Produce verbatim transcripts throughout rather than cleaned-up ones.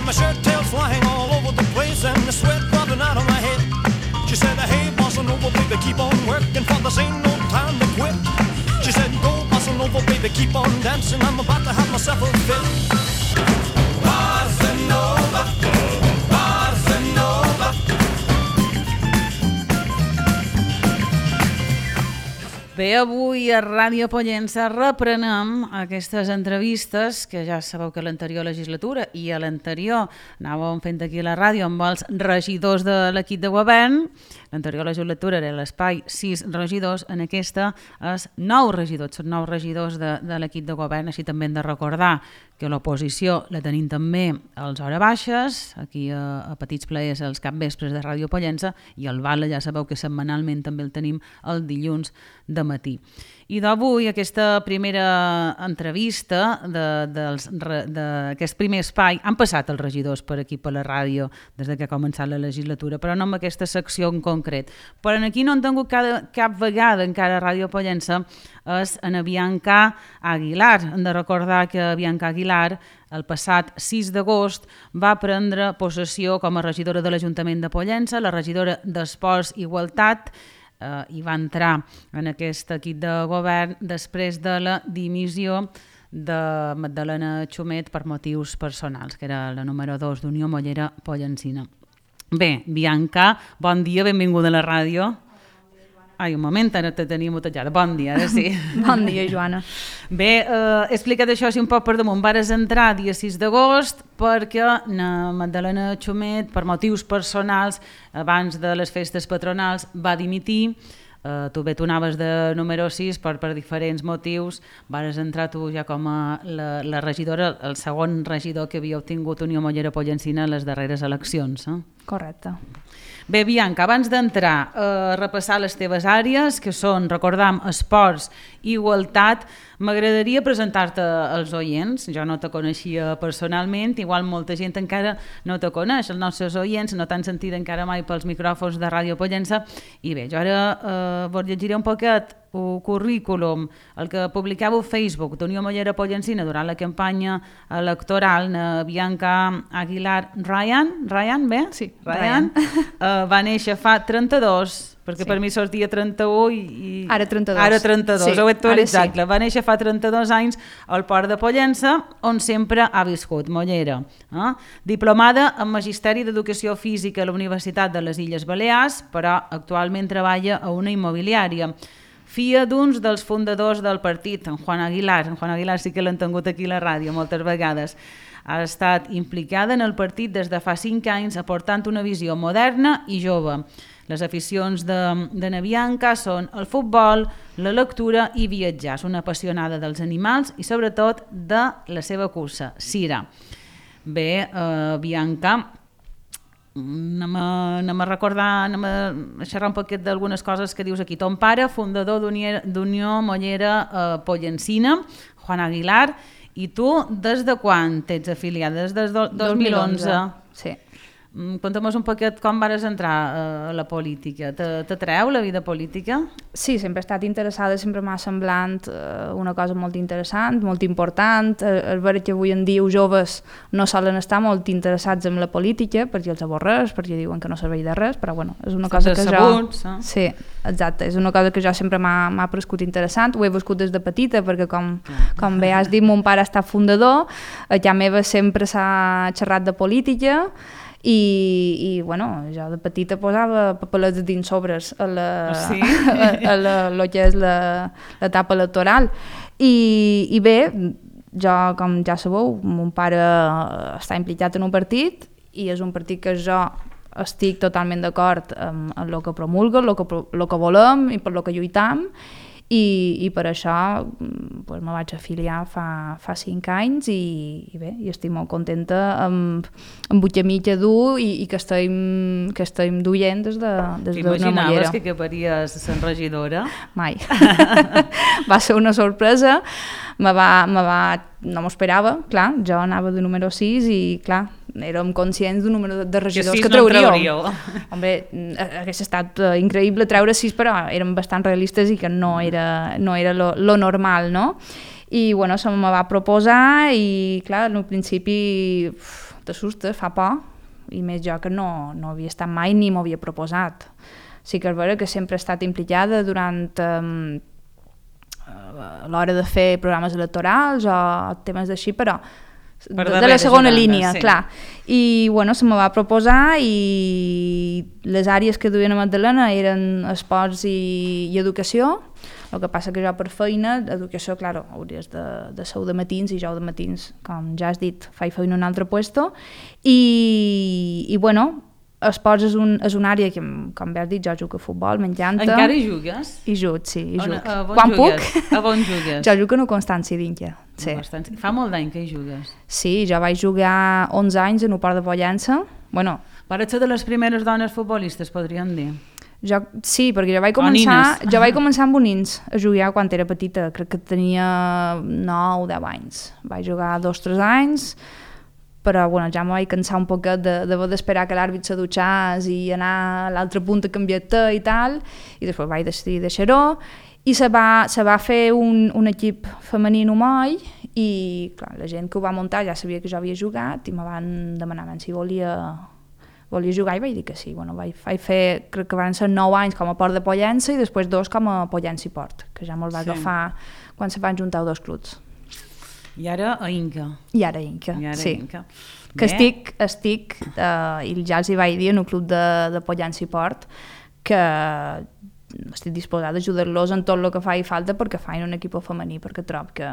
My shirt tails flying all over the place and the sweat dropping out of my head. She said, hey, bossa nova, baby, keep on working, for this ain't no time to quit. She said, go, bossa nova, baby, keep on dancing, I'm about to have myself a fit. Bossa nova, bossa nova. Bé, avui a Ràdio Pollença reprenem aquestes entrevistes que ja sabeu que a l'anterior legislatura i a l'anterior anàvem fent aquí a la ràdio amb els regidors de l'equip de govern. L'anterior legislatura era l'espai sis regidors, en aquesta és nou regidors, són nou regidors de, de l'equip de govern, així també hem de recordar que l'oposició la tenim també als hores baixes, aquí a, a Petits Plaers els capvespres de Ràdio Pollença, i el Vale ja sabeu que setmanalment també el tenim el dilluns de matí. I d'avui aquesta primera entrevista d'aquest primer espai, han passat els regidors per aquí per la ràdio des que ha començat la legislatura, però no amb aquesta secció en concret. Però aquí no han tingut cada, cap vegada encara a Ràdio Pollença és en Bianca Aguilar. Hem de recordar que Bianca Aguilar el passat sis d'agost va prendre possessió com a regidora de l'Ajuntament de Pollença, la regidora d'Esports i Igualtat, Uh, i va entrar en aquest equip de govern després de la dimissió de Magdalena Xumet per motius personals, que era la número dos d'Unió Mollera Pollencina. Bé, Bianca, bon dia, benvinguda a la ràdio. Ai, un moment, ara te tenia mutejada. Bon dia, ara sí. Bon dia, Joana. Bé, eh, he explicat això així un poc per damunt. Vares entrar dia sis d'agost perquè na Magdalena Xumet, per motius personals, abans de les festes patronals, va dimitir. Eh, tu bé, tu anaves de número sis, però per diferents motius vares entrar tu ja com a la, la regidora, el segon regidor que havia obtingut Unió Mollera Pollencina en les darreres eleccions. Eh? Correcte. Bé, Bianca, abans d'entrar a repassar les teves àrees, que són, recordam, esports i igualtat, m'agradaria presentar-te als oients. Jo no te coneixia personalment, igual molta gent encara no te coneix, els nostres oients no t'han sentit encara mai pels micròfons de Ràdio Pollença. I bé, jo ara eh, vos llegiré un poquet el currículum, el que publicava a Facebook d'Unió Mollera Pollencina durant la campanya electoral. Na Bianca Aguilar Ryan, Ryan, bé? Sí, Ryan. Ryan. Uh, va néixer fa trenta-dos, perquè sí. Per mi sortia trenta-u i... i... Ara trenta-dos. Ara trenta-dos, sí, ho he actualitzat. sí. Va néixer fa trenta-dos anys al Port de Pollença, on sempre ha viscut, Mollera. Eh? Diplomada en Magisteri d'Educació Física a la Universitat de les Illes Balears, però actualment treballa a una immobiliària. Filla d'uns dels fundadors del partit, en Juan Aguilar. En Juan Aguilar sí que l'han tingut aquí a la ràdio moltes vegades. Ha estat implicada en el partit des de fa cinc anys, aportant una visió moderna i jove. Les aficions de, de na Bianca són el futbol, la lectura i viatjar. És una apassionada dels animals i sobretot de la seva cursa, Sira. Bé, eh, Bianca, anem a, anem a recordar, anem a xerrar un poquet d'algunes coses que dius aquí. Ton pare, fundador d'Unió Mollera eh, Pollencina, Juan Aguilar, i tu des de quan t'ets afiliada? Des del dos mil onze. Sí. Conta'm un poquet com vas entrar a la política. T'atreu la vida política? Sí, sempre he estat interessada, sempre m'ha semblat una cosa molt interessant, molt important. És veritat que avui en dia els joves no solen estar molt interessats en la política perquè els avorreix, perquè diuen que no serveix de res, però bueno, és una cosa que jo... Sí, exacte, és una cosa que jo sempre m'ha prescut interessant. Ho he viscut des de petita perquè com, com bé has dit, mon pare ha estat fundador, a casa meva sempre s'ha xerrat de política. I, i bueno, jo de petita posava papelets dins sobres a la, sí? a, a la, lo que és l'etapa electoral I, i bé, jo com ja sabeu, mon pare està implicat en un partit i és un partit que jo estic totalment d'acord amb, amb el que promulga, el que, el que volem i per el que lluitam i, i per això pues, me vaig afiliar fa, fa cinc anys i, i bé, i estic molt contenta amb, amb vuit mitja dur i, i que estem, que estem duient des de, des d'una mollera. T'imaginaves que acabaries sent regidora? Mai. Va ser una sorpresa, me va, me va, no m'ho esperava, clar, jo anava de número sis i clar, érem conscients d'un número de regidors que, que trauríeu. Hombre, hauria estat uh, increïble treure sis, però érem bastant realistes i que no era, no era lo, lo normal, no? I bueno, se me va proposar i clar, al principi uf, t'assustes, fa por, i més jo que no, no havia estat mai ni m'ho havia proposat. Sí que és vera que sempre he estat implicada durant um, l'hora de fer programes electorals o temes d'així, però de, de la segona línia, sí. Clar. I bueno, se me va proposar i les àrees que duien a Magdalena eren esports i, i educació. El que passa que jo per feina, educació, clar, hauries de, de ser de matins i jo de matins, com ja has dit, faig feina en un altre puesto. I, i bueno, esports és, un, és una àrea que, com bé has dit, jo jugo a futbol, m'encanta. Encara hi jugues? Hi jugo, sí, hi jugo. A, a Quan jugues? puc? A on jugues? Jo jugo en una Constància d'Inca. Sí. Fa molt d'any que hi jugues. Sí, jo vaig jugar onze anys en un port de Pollença. Bueno, Vaig ser de les primeres dones futbolistes, podríem dir. Jo, sí, perquè jo vaig començar, jo vaig començar amb bonins a jugar quan era petita, crec que tenia nou o deu anys. Vaig jugar dos o tres anys, però bueno, ja me vaig cansar un poquet d'haver d'esperar que l'àrbit se dutxés i anar a l'altre punt a canviar-te i tal, i després vaig decidir deixar-ho, i se va, se va fer un, un equip femení en Moll, i clar, la gent que ho va muntar ja sabia que jo havia jugat i me van demanar si volia, volia jugar i vaig dir que sí. Bueno, vaig, vaig fer, crec que van ser nou anys com a Port de Pollença i després dos com a Pollença i Port, que ja me'l va sí. agafar quan se van juntar dos clubs. I ara a Inca. I ara a Inca, I ara sí. a Inca. Que Bé. estic, estic eh, i ja els hi vaig dir en un club de, de Pollença i Port, que estic disposada a ajudar-los en tot el que faci falta perquè facin un equip femení, perquè trob que,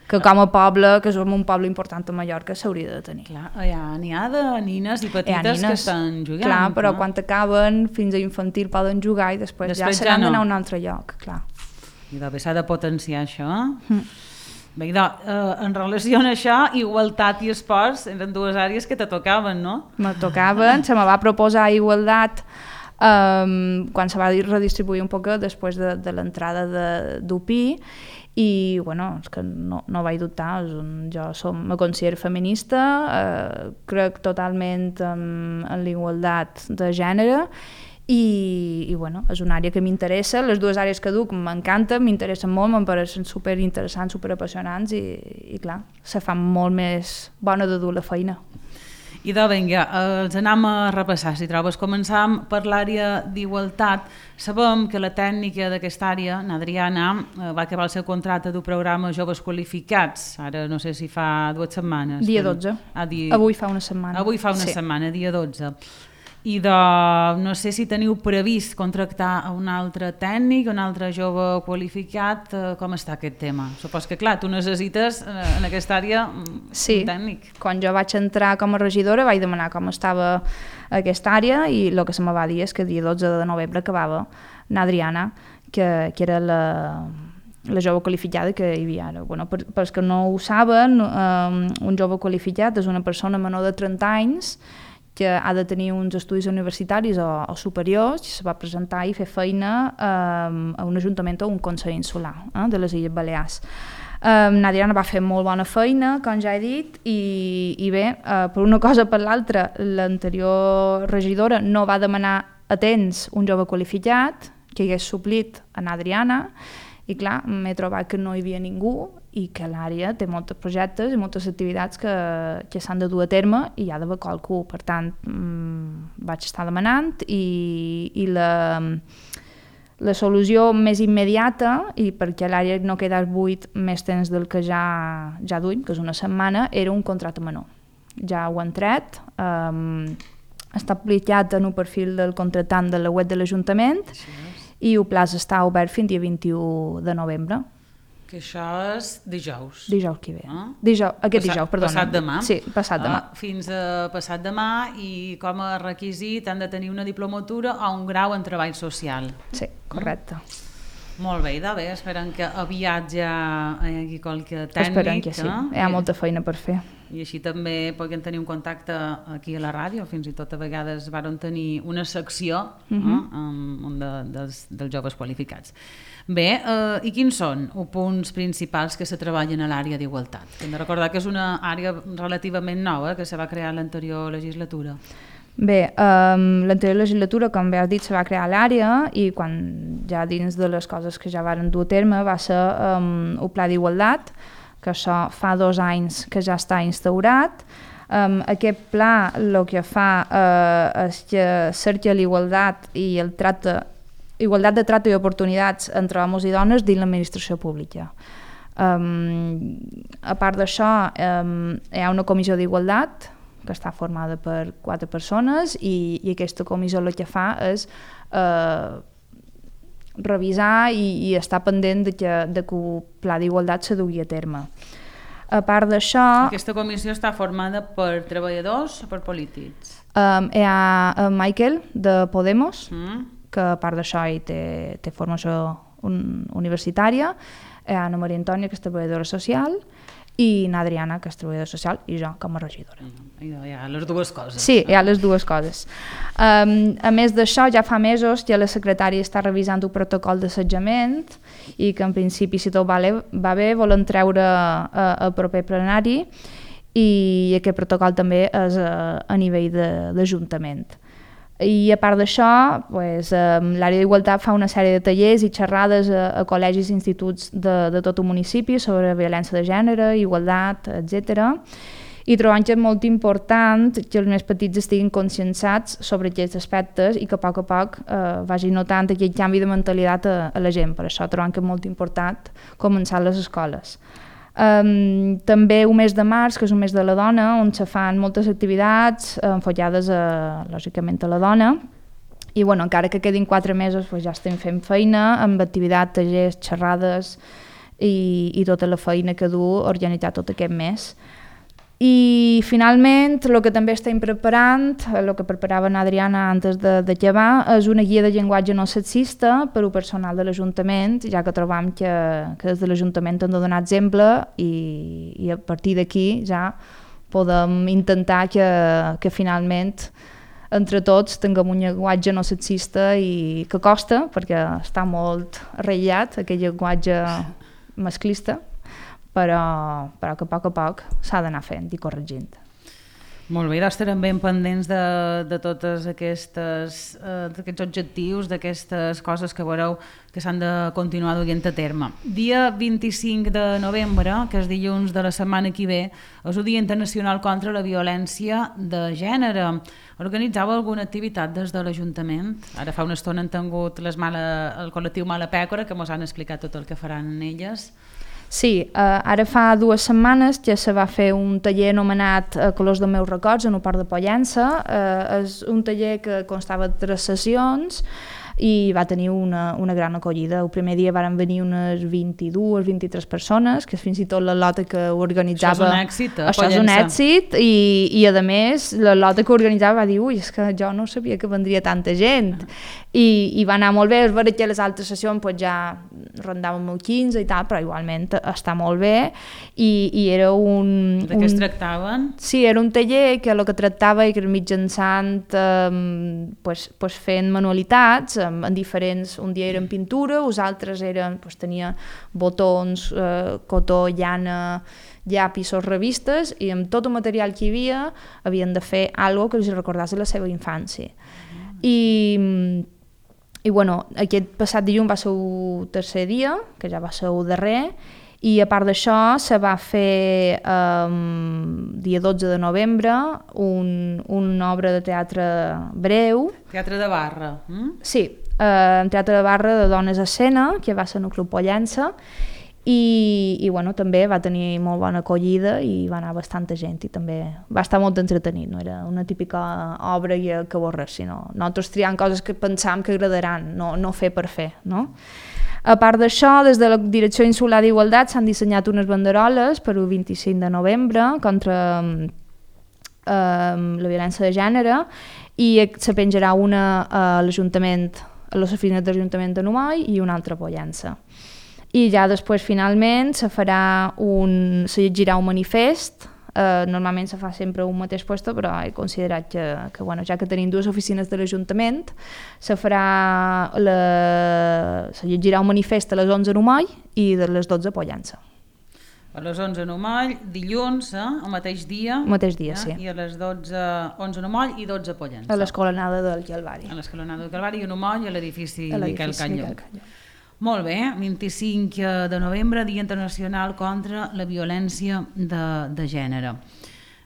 que com a poble, que som un poble important a Mallorca, s'hauria de tenir. Clar, n'hi ha de nines i petites nines, que estan jugant. Clar, però no? Quan acaben, fins a infantil poden jugar i després, després ja se n'han ja no. d'anar a un altre lloc, clar. I doncs s'ha de potenciar això. Mm. Bé, doncs, eh, en relació a això, igualtat i esports eren dues àrees que te tocaven, no? Me tocaven, se me va proposar igualtat Um, quan se va redistribuir un poc després de, de l'entrada d'U P I i bueno, és que no, no vaig dubtar, és un, jo som, me considero feminista, eh, crec totalment en, en l'igualtat de gènere i, i bueno, és una àrea que m'interessa, les dues àrees que duc m'encanten, m'interessen molt, em pareixen superinteressants, superapassionants i, i clar, se fa molt més bona de dur la feina. I doncs vinga, els anem a repassar, si trobes. Començam per l'àrea d'igualtat. Sabem que la tècnica d'aquesta àrea, n'Adriana, va acabar el seu contracte d'un programa Joves Qualificats, ara no sé si fa dues setmanes. Dia dotze. Ah, dia... Avui fa una setmana. Avui fa una sí. setmana, dia dotze. I de, no sé si teniu previst contractar a un altre tècnic, un altre jove qualificat, com està aquest tema? Supos que clar, tu necessites en aquesta àrea sí. un tècnic. Quan jo vaig entrar com a regidora vaig demanar com estava aquesta àrea i el que se me va dir és que el dia dotze de novembre acabava n'Adriana, que, que era la... la jove qualificada que hi havia ara. Bueno, per, pels que no ho saben, um, un jove qualificat és una persona menor de trenta anys que ha de tenir uns estudis universitaris o, o superiors, i se va presentar i fer feina um, a un ajuntament o un consell insular eh, de les Illes Balears. Um, N'Adriana va fer molt bona feina, com ja he dit, i, i bé, uh, per una cosa o per l'altra, l'anterior regidora no va demanar a temps un jove qualificat que hagués suplit a N'Adriana, i clar, m'he trobat que no hi havia ningú i que l'àrea té molts projectes i moltes activitats que, que s'han de dur a terme i hi ha d'haver qualcú. Per tant, mmm, vaig estar demanant i, i la, la solució més immediata, i perquè l'àrea no quedés buit més temps del que ja, ja duim, que és una setmana, era un contracte menor. Ja ho han tret, um, està aplicat en un perfil del contractant de la web de l'Ajuntament, i el plaç està obert fins dia vint-i-u de novembre. Que això és dijous. Dijous que ve. Ah? Dijous, aquest passat, dijous, perdona. Passat demà? Sí, passat demà. Ah, fins a passat demà, i com a requisit han de tenir una diplomatura o un grau en treball social. Sí, correcte. Ah? Molt bé, idò, bé, esperem que aviat ja hi hagi qualque tècnic. Esperem que sí, eh? hi ha molta feina per fer. I així també puguem tenir un contacte aquí a la ràdio, fins i tot a vegades varen tenir una secció uh -huh. eh, um, de, dels, dels joves qualificats. Bé, eh, i quins són els punts principals que se treballen a l'àrea d'igualtat? Hem de recordar que és una àrea relativament nova, que se va crear l'anterior legislatura. Bé, um, l'anterior legislatura, com bé has dit, se va crear l'àrea i quan ja dins de les coses que ja varen dur a terme va ser um, el Pla d'Igualtat, que això fa dos anys que ja està instaurat. Um, aquest pla el que fa uh, és que cerca l'igualtat i el tracte, igualtat de tracte i oportunitats entre homes i dones dins l'administració pública. Um, a part d'això, um, hi ha una comissió d'igualtat que està formada per quatre persones i, i aquesta comissió el que fa és uh, revisar i, i estar pendent de que, de que el pla d'igualtat se dugui a terme. A part d'això... Aquesta comissió està formada per treballadors o per polítics? Um, hi ha en Michael, de Podemos, Mm. que a part d'això hi té, té formació un, universitària, hi ha Ana Maria Antònia, que és treballadora social, i n'Adriana, que és treballadora social, i jo, com a regidora. Mm. Hi ha les dues coses. Sí, hi ha les dues coses. Um, a més d'això, ja fa mesos que la secretària està revisant un protocol d'assetjament i que en principi, si tot va, va bé, volen treure uh, el proper plenari i aquest protocol també és uh, a nivell d'Ajuntament. I a part d'això, pues, um, l'àrea d'igualtat fa una sèrie de tallers i xerrades a, a col·legis i instituts de, de tot el municipi sobre violència de gènere, igualtat, etcètera. I trobant que és molt important que els més petits estiguin conscienciats sobre aquests aspectes i que a poc a poc eh, vagi notant aquest canvi de mentalitat a, a la gent. Per això trobant que és molt important començar a les escoles. Um, també un mes de març, que és un mes de la dona, on se fan moltes activitats enfocades a, lògicament a la dona, i bueno, encara que quedin quatre mesos pues, ja estem fent feina amb activitats, tallers, xerrades i, i tota la feina que du organitzar tot aquest mes. I finalment el que també estem preparant, el que preparava Adriana antes de, de llevar, és una guia de llenguatge no sexista per al personal de l'Ajuntament, ja que trobam que, que des de l'Ajuntament hem de donar exemple i, i a partir d'aquí ja podem intentar que, que finalment entre tots tinguem un llenguatge no sexista i que costa, perquè està molt arrellat aquest llenguatge masclista, però, però que a poc a poc s'ha d'anar fent i corregint. Molt bé, doncs estarem ben pendents de, de tots aquestes, eh, aquests objectius, d'aquestes coses que veureu que s'han de continuar duent a terme. Dia vint-i-cinc de novembre, que és dilluns de la setmana que ve, és el Dia Internacional contra la Violència de Gènere. Organitzava alguna activitat des de l'Ajuntament? Ara fa una estona han tingut les mala, el col·lectiu Mala Pècora, que ens han explicat tot el que faran elles. Sí, eh, ara fa dues setmanes que se va fer un taller anomenat eh, Colors dels meus records en el Port de Pollença. Eh, és un taller que constava de tres sessions i va tenir una, una gran acollida. El primer dia van venir unes vint-i-dues, vint-i-tres persones, que és fins i tot la lota que ho organitzava. Això és un èxit, eh? Això és un èxit i, i a més la lota que ho organitzava va dir ui, és que jo no sabia que vendria tanta gent. I, i va anar molt bé, és veritat que les altres sessions pues, ja rondàvem el quinze i tal, però igualment està molt bé i, i era un... De què un... es tractaven? Sí, era un taller que el que tractava i que era mitjançant eh, pues, pues fent manualitats eh, en diferents, un dia eren pintura, els altres eren, pues, tenia botons, eh, cotó, llana, llapisos, revistes i amb tot el material que hi havia havien de fer alguna cosa que els recordés de la seva infància. I I bueno, aquest passat dilluns va ser el tercer dia, que ja va ser el darrer, i a part d'això se va fer um, dia dotze de novembre un, una obra de teatre breu. Teatre de barra. Mm? Sí, uh, teatre de barra de dones a escena, que va ser en el Club Pollença, i, i bueno, també va tenir molt bona acollida i va anar bastanta gent i també va estar molt entretenit, no era una típica obra que avorres, sinó nosaltres triant coses que pensam que agradaran, no, no fer per fer, no? A part d'això, des de la Direcció Insular d'Igualtat s'han dissenyat unes banderoles per el vint-i-cinc de novembre contra eh, la violència de gènere i se penjarà una a l'Ajuntament a les oficines de l'Ajuntament de Numai i una altra a Pollença. I ja després, finalment, se farà un... se llegirà un manifest. Uh, normalment se fa sempre un mateix puesto, però he considerat que, que bueno, ja que tenim dues oficines de l'Ajuntament, se farà la... se llegirà un manifest a les onze a Numai i de les dotze a Pollença. A les onze a Numai, dilluns, eh, el mateix dia. El mateix dia, eh, sí. I a les dotze, onze a Numai i dotze a Pollença. A l'escolanada del Calvari. A l'escolanada del Calvari i a Numai a l'edifici Miquel Canyó. Canyó. Molt bé, vint-i-cinc de novembre, Dia Internacional contra la Violència de, de Gènere.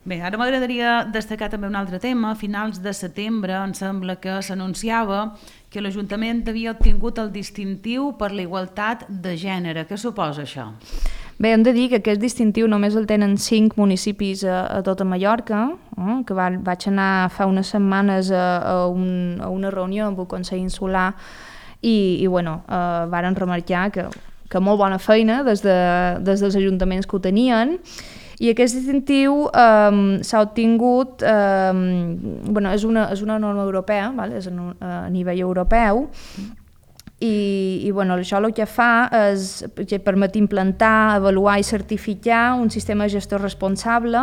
Bé, ara m'agradaria destacar també un altre tema. A finals de setembre em sembla que s'anunciava que l'Ajuntament havia obtingut el distintiu per la igualtat de gènere. Què suposa això? Bé, hem de dir que aquest distintiu només el tenen cinc municipis a, a tota Mallorca, eh, que va, vaig anar fa unes setmanes a, a, un, a una reunió amb el Consell Insular i, i bueno, eh, varen remarcar que, que molt bona feina des, de, des dels ajuntaments que ho tenien, i aquest distintiu eh, s'ha obtingut, eh, bueno, és una, és una norma europea, vale? És a, a nivell europeu, i, i bueno, això el que fa és que permet implantar, avaluar i certificar un sistema de gestió responsable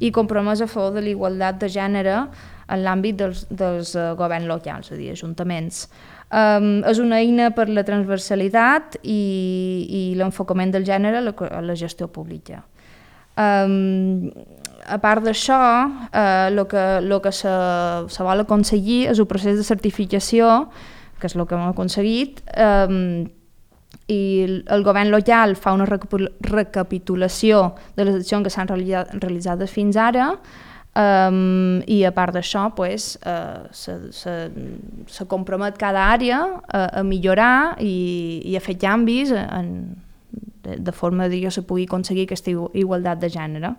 i compromès a favor de la igualtat de gènere en l'àmbit dels, dels uh, governs locals, és a dir, ajuntaments. Um, és una eina per la transversalitat i, i l'enfocament del gènere a la, a la gestió pública. Um, a part d'això, el uh, que, lo que se, se vol aconseguir és un procés de certificació, que és el que hem aconseguit, um, i el govern local fa una recapitulació de les accions que s'han realitzades fins ara, um, i a part d'això pues, uh, se, se, se compromet cada àrea a, a millorar i, i a fer canvis en, de, de forma que se pugui aconseguir aquesta igualtat de gènere.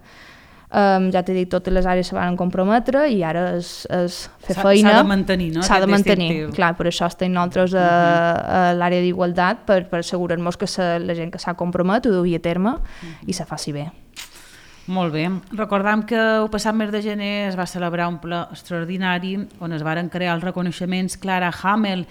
Um, ja t'he dit, totes les àrees se van comprometre i ara és, és fer feina. S'ha de mantenir, no? S'ha de mantenir, clar, per això estem nosaltres a, a l'àrea d'igualtat, per, per assegurar-nos que se, la gent que s'ha compromet ho duia a terme i se faci bé. Molt bé. Recordam que el passat mes de gener es va celebrar un ple extraordinari on es varen crear els reconeixements Clara Hamel,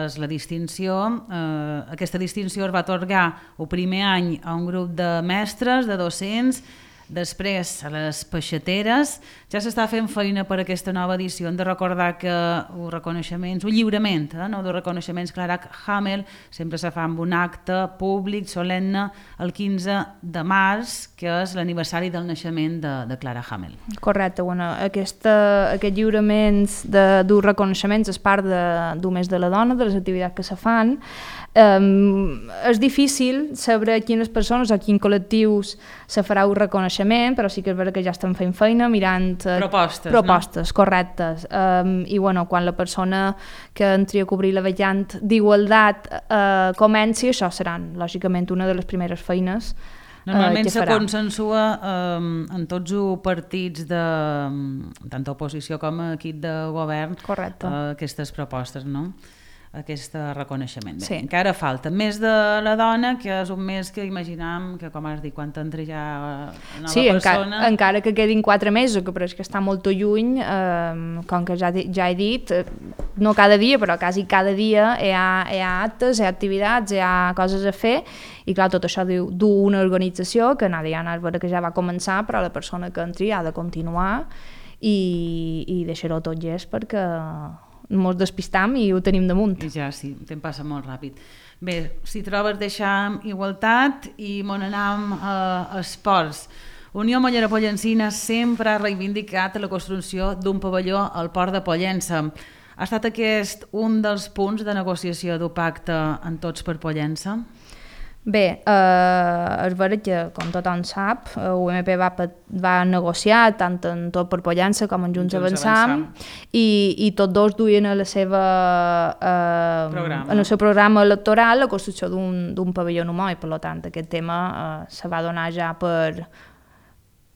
és la distinció. Eh, aquesta distinció es va atorgar el primer any a un grup de mestres, de docents, després a les peixateres. Ja s'està fent feina per aquesta nova edició. Hem de recordar que els reconeixements, el lliurament eh, no, dels reconeixements Clara Hamel sempre se fa amb un acte públic solemne el quinze de març, que és l'aniversari del naixement de, de Clara Hamel. Correcte, bueno, aquesta, aquest lliurament d'un reconeixements és part d'un mes de la dona, de les activitats que se fan. Um, és difícil saber a quines persones o a quins col·lectius se farà un reconeixement, però sí que és veritat que ja estem fent feina mirant uh, propostes, propostes no? Correctes. Um, I bueno, quan la persona que entri a cobrir la vacant d'igualtat uh, comenci, això seran lògicament una de les primeres feines. Normalment uh, se consensua um, en tots els partits de tant d'oposició com equip de govern uh, aquestes propostes, no? Aquest reconeixement. Bé, sí. Encara falta. Més de la dona, que és un mes que imaginam que, com has dit, quan t'entra ja nova sí, persona... Encara, encara que quedin quatre mesos, que però és que està molt lluny, eh, com que ja, ja he dit, no cada dia, però quasi cada dia hi ha, hi ha actes, hi ha activitats, hi ha coses a fer, i clar, tot això du, du una organització que Nadia Diana és vera que ja va començar, però la persona que entri ha de continuar i, i deixar-ho tot llest perquè ens despistam i ho tenim damunt. I ja, sí, el temps passa molt ràpid. Bé, si trobes deixam igualtat i mon anam a esports. Unió Mollera Pollencina sempre ha reivindicat la construcció d'un pavelló al port de Pollença. Ha estat aquest un dels punts de negociació d'un pacte en Tots per Pollença? Bé, eh, és veritat que, com tothom sap, U M P va, va negociar tant en Tot per Pollença com en Junts, Junts Avançam, Avançam. I, i tots dos duien a la seva, eh, en el seu programa electoral la construcció d'un pavelló humà i, per tant, aquest tema eh, se va donar ja per...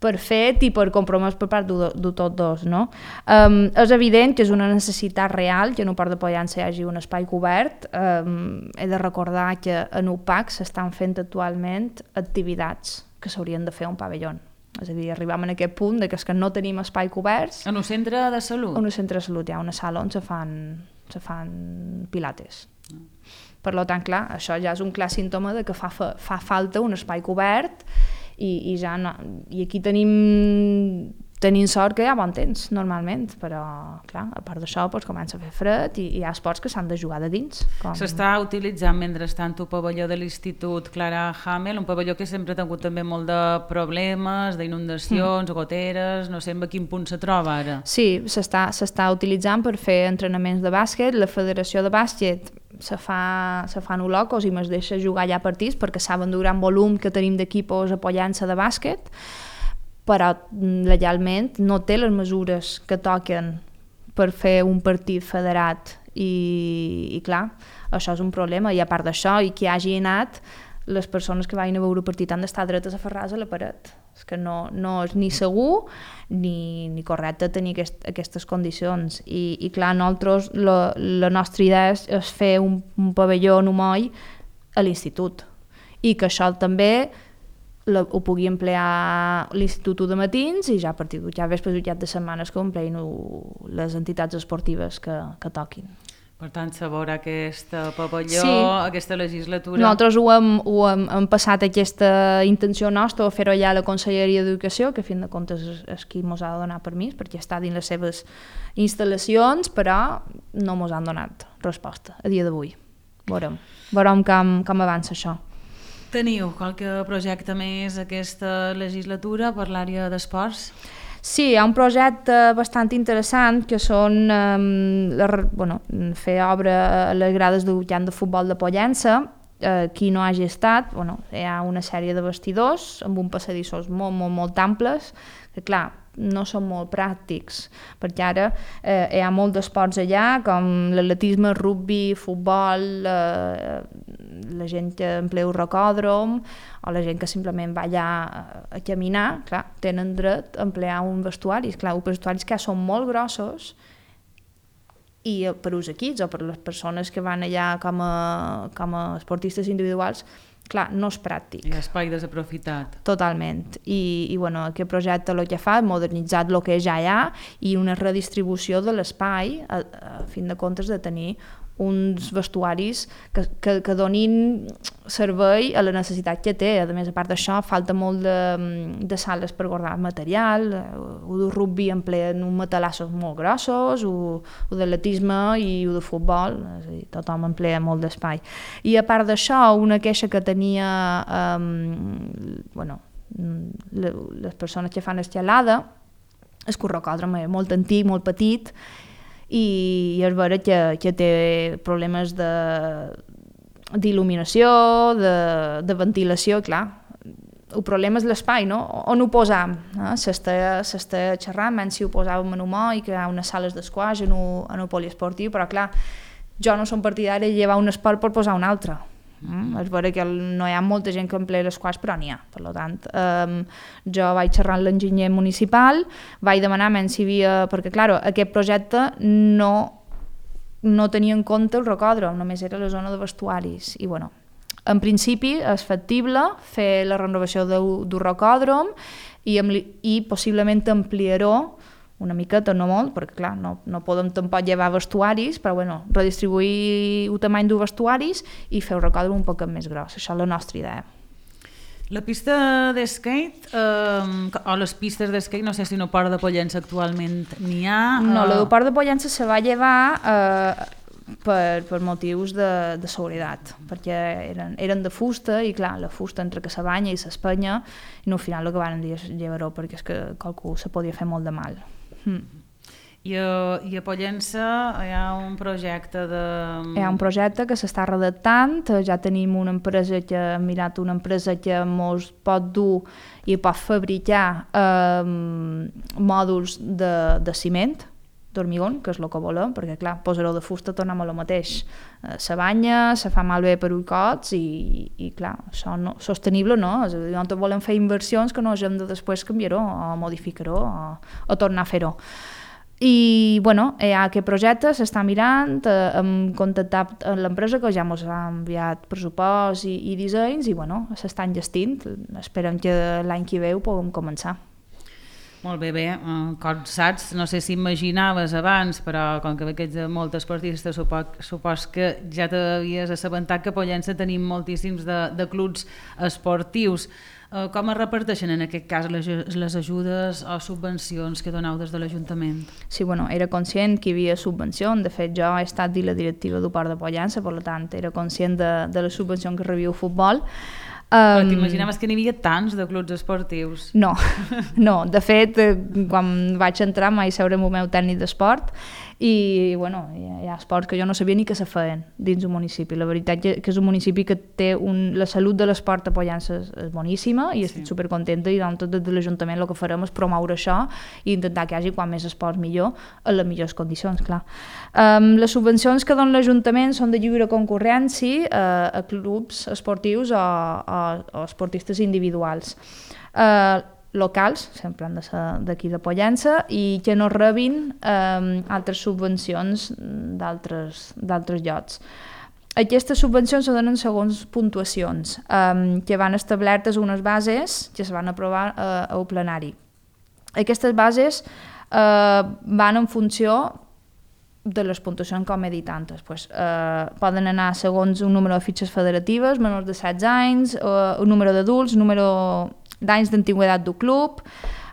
per fet i per compromès per part de, de tots dos. No? Um, és evident que és una necessitat real que en el Port de Pollença hi hagi un espai cobert. Um, he de recordar que en U P A C s'estan fent actualment activitats que s'haurien de fer a un pavelló. És a dir, arribem a aquest punt de que, és que no tenim espai coberts. En un centre de salut? En un centre de salut hi ha una sala on se fan se fan pilates. Per tant, clar, això ja és un clar símptoma de que fa, fa, fa falta un espai cobert i, i ja no, i aquí tenim tenim sort que hi ha bon temps, normalment, però, clar, a part d'això, doncs, comença a fer fred i, i hi ha esports que s'han de jugar de dins. Com... S'està utilitzant, mentrestant, el pavelló de l'Institut Clara Hamel, un pavelló que sempre ha tingut també molt de problemes, d'inundacions, mm. goteres, no sé en quin punt se troba ara. Sí, s'està s'està utilitzant per fer entrenaments de bàsquet, la Federació de Bàsquet se fa, se fan olocos i es deixa jugar allà partits perquè saben del gran volum que tenim d'equipos apoyant-se de bàsquet, però legalment no té les mesures que toquen per fer un partit federat i, i clar, això és un problema i a part d'això, i qui hagi anat les persones que vagin a veure el partit han d'estar dretes aferrades a la paret, és que no, no és ni segur ni, ni correcte tenir aquest, aquestes condicions i, i clar, nosaltres la, la nostra idea és, és fer un, un pavelló en Humoi a l'institut i que això també La, ho pugui emplear l'Institut de matins i ja a partir de ja vespres i de setmanes que ho empleïn les entitats esportives que, que toquin. Per tant, se veurà aquest pavelló, sí. aquesta legislatura... Nosaltres ho hem, ho hem, hem passat aquesta intenció nostra a fer-ho ja a la Conselleria d'Educació, que a fin de comptes és, és qui ens ha de donar permís, perquè està dins les seves instal·lacions, però no ens han donat resposta a dia d'avui. Veurem, veurem com, com avança això. Teniu qualque projecte més aquesta legislatura per l'àrea d'esports? Sí, hi ha un projecte bastant interessant que són eh, la, bueno, fer obra a les grades de camp de futbol de Pollença. Eh, qui no hagi estat, bueno, hi ha una sèrie de vestidors amb un passadissos molt, molt, molt amples, que clar, no són molt pràctics, perquè ara eh, hi ha molts d'esports allà, com l'atletisme, rugby, futbol, eh, la gent que emplea un rocòdrom, o la gent que simplement va allà a caminar, clar, tenen dret a emplear un vestuari, clar, uns vestuaris que són molt grossos, i per uns equips o per les persones que van allà com a, com a esportistes individuals, clar, no és pràctic. I espai desaprofitat. Totalment. I, i bueno, aquest projecte el que fa és modernitzar el que ja hi ha i una redistribució de l'espai a, a fin de comptes de tenir uns vestuaris que, que, que donin servei a la necessitat que té. A més, a part d'això, falta molt de, de sales per guardar material, o de rugby empleen uns matalassos molt grossos, o, o d'atletisme i o de futbol, és a dir, tothom emplea molt d'espai. I a part d'això, una queixa que tenia um, bueno, les persones que fan escalada és que el rocòdrom és molt antic, molt petit, i és vera que, que té problemes de d'il·luminació, de, de ventilació, clar. El problema és l'espai, no? On ho posam? Eh? S'està xerrant, menys si ho posàvem en Humoi, que hi ha unes sales d'esquaix en un poliesportiu, però clar, jo no som partidari de llevar un esport per posar un altre. Mm? És vera que no hi ha molta gent que emplea l'esquaix, però n'hi ha. Per tant, um, jo vaig xerrar amb l'enginyer municipal, vaig demanar menys si havia... Perquè, clar, aquest projecte no, no tenia en compte el rocòdrom, només era la zona de vestuaris. I, bueno, en principi és factible fer la renovació del rocòdrom i, i possiblement ampliar-ho una miqueta, no molt, perquè clar, no, no podem tampoc llevar vestuaris, però bueno, redistribuir el tamany dels vestuaris i fer el rocòdrom un poc més gros. Això és la nostra idea. La pista d'skate, eh, o les pistes d'skate, no sé si no Port de Pollença actualment n'hi ha. No, eh... la del Port de Pollença se va llevar eh, per, per motius de, de seguretat, perquè eren, eren de fusta i clar, la fusta entre que se banya i s'espenya, i no, al final el que van dir és llevar-ho perquè és que qualcú se podia fer molt de mal. Mm. I, a, I a Pollença hi ha un projecte de... Hi ha un projecte que s'està redactant, ja tenim una empresa que ha mirat una empresa que ens pot dur i pot fabricar eh, mòduls de, de ciment, d'hormigó, que és el que volem, perquè clar, posar-ho de fusta tornem a lo mateix. Eh, se banya, se fa malbé per uicots i, i clar, això no, sostenible no, és a dir, nosaltres volem fer inversions que no hem de després canviar-ho o modificar-ho o, o tornar a fer-ho. I bueno, hi ha aquest projecte, s'està mirant, eh, hem contactat amb l'empresa que ja ens ha enviat pressupost i, i dissenys i bueno, s'estan gestint, esperem que l'any que ve ho puguem començar. Molt bé, bé, com saps, no sé si imaginaves abans, però com que veig de molts esportistes, supos, supos que ja t'havies assabentat que a Pollença tenim moltíssims de, de clubs esportius. Com es reparteixen en aquest cas les, les ajudes o subvencions que doneu des de l'Ajuntament? Sí, bueno, era conscient que hi havia subvencions, de fet jo he estat dins la directiva del Port de Pollença, per tant era conscient de, de la subvenció que rebia el futbol. Però um, t'imaginaves que n'hi havia tants de clubs esportius? No, no, de fet, quan vaig entrar mai seure amb el meu tècnic d'esport i, bueno, hi ha esports que jo no sabia ni que se feien dins un municipi. La veritat que és un municipi que té un, la salut de l'esport a Pollença és, és boníssima i estic sí. supercontenta i doncs tot des de l'Ajuntament el que farem és promoure això i intentar que hi hagi quan més esports millor, en les millors condicions, clar. Um, les subvencions que dona l'Ajuntament són de lliure concurrència uh, a clubs esportius o, o, o esportistes individuals. Uh, locals, sempre han de ser d'aquí de Pollença, i que no rebin eh, altres subvencions d'altres llocs. Aquestes subvencions se donen segons puntuacions, eh, que van establertes unes bases que es van aprovar eh, al plenari. Aquestes bases eh, van en funció de les puntuacions com he dit antes. Pues, eh, poden anar segons un número de fitxes federatives, menors de setze anys, eh, un número d'adults, número d'anys d'antiguitat del club,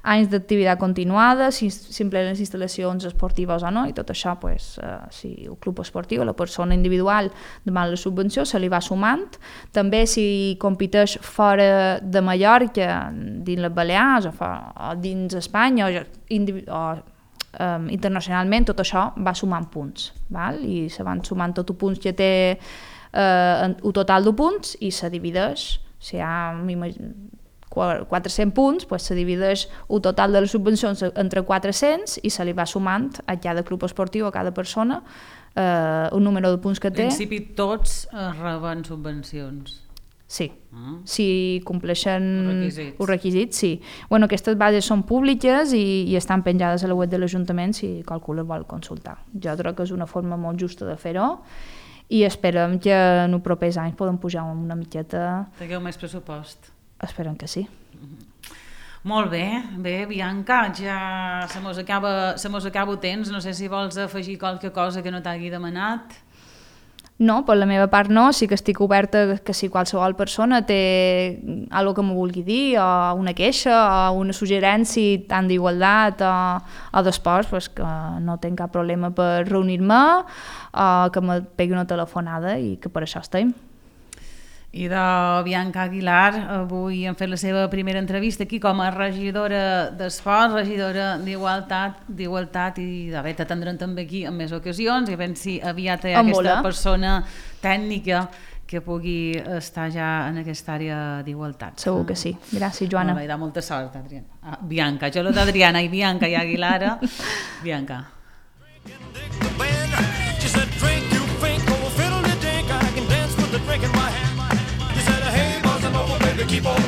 anys d'activitat continuada, si s'emplen les instal·lacions esportives o no, i tot això, pues, eh, si el club esportiu, la persona individual demana la subvenció, se li va sumant. També si competeix fora de Mallorca, dins les Balears o, fora, o dins Espanya o, o um, internacionalment, tot això va sumant punts, val? I se van sumant tots els punts que té eh, un total de punts i se divideix, si hi ha quatre-cents punts, pues se divideix el total de les subvencions entre quatre-cents i se li va sumant a cada club esportiu, a cada persona, eh, un número de punts que té. En principi tots reben subvencions. Sí, ah. si compleixen els requisits. els requisits, sí. Bueno, aquestes bases són públiques i, i estan penjades a la web de l'Ajuntament si qualcú les vol consultar. Jo crec que és una forma molt justa de fer-ho i esperem que en els propers anys podem pujar una miqueta... Tingueu més pressupost. Esperem que sí. Molt bé, bé, Bianca, ja se mos acaba, se mos acaba el temps, no sé si vols afegir qualque cosa que no t'hagi demanat. No, per la meva part no, sí que estic oberta que si qualsevol persona té alguna que m'ho vulgui dir, o una queixa, o una suggerència tant d'igualtat o, o d'esports, pues que no tinc cap problema per reunir-me, o que me pegui una telefonada i que per això estem. I de Bianca Aguilar, avui hem fet la seva primera entrevista aquí com a regidora d'Esport, regidora d'Igualtat, d'Igualtat i de bé, t'atendrem també aquí en més ocasions i a veure si aviat hi ha aquesta persona tècnica que pugui estar ja en aquesta àrea d'igualtat. Segur que sí. Gràcies, Joana. Molt bé, da molta sort, Adriana. Ah, Bianca, jo lo d'Adriana i Bianca i Aguilar. Bianca. She said, drink, you think, oh, fiddle, you think, I can dance with the drink in my hand. Keep on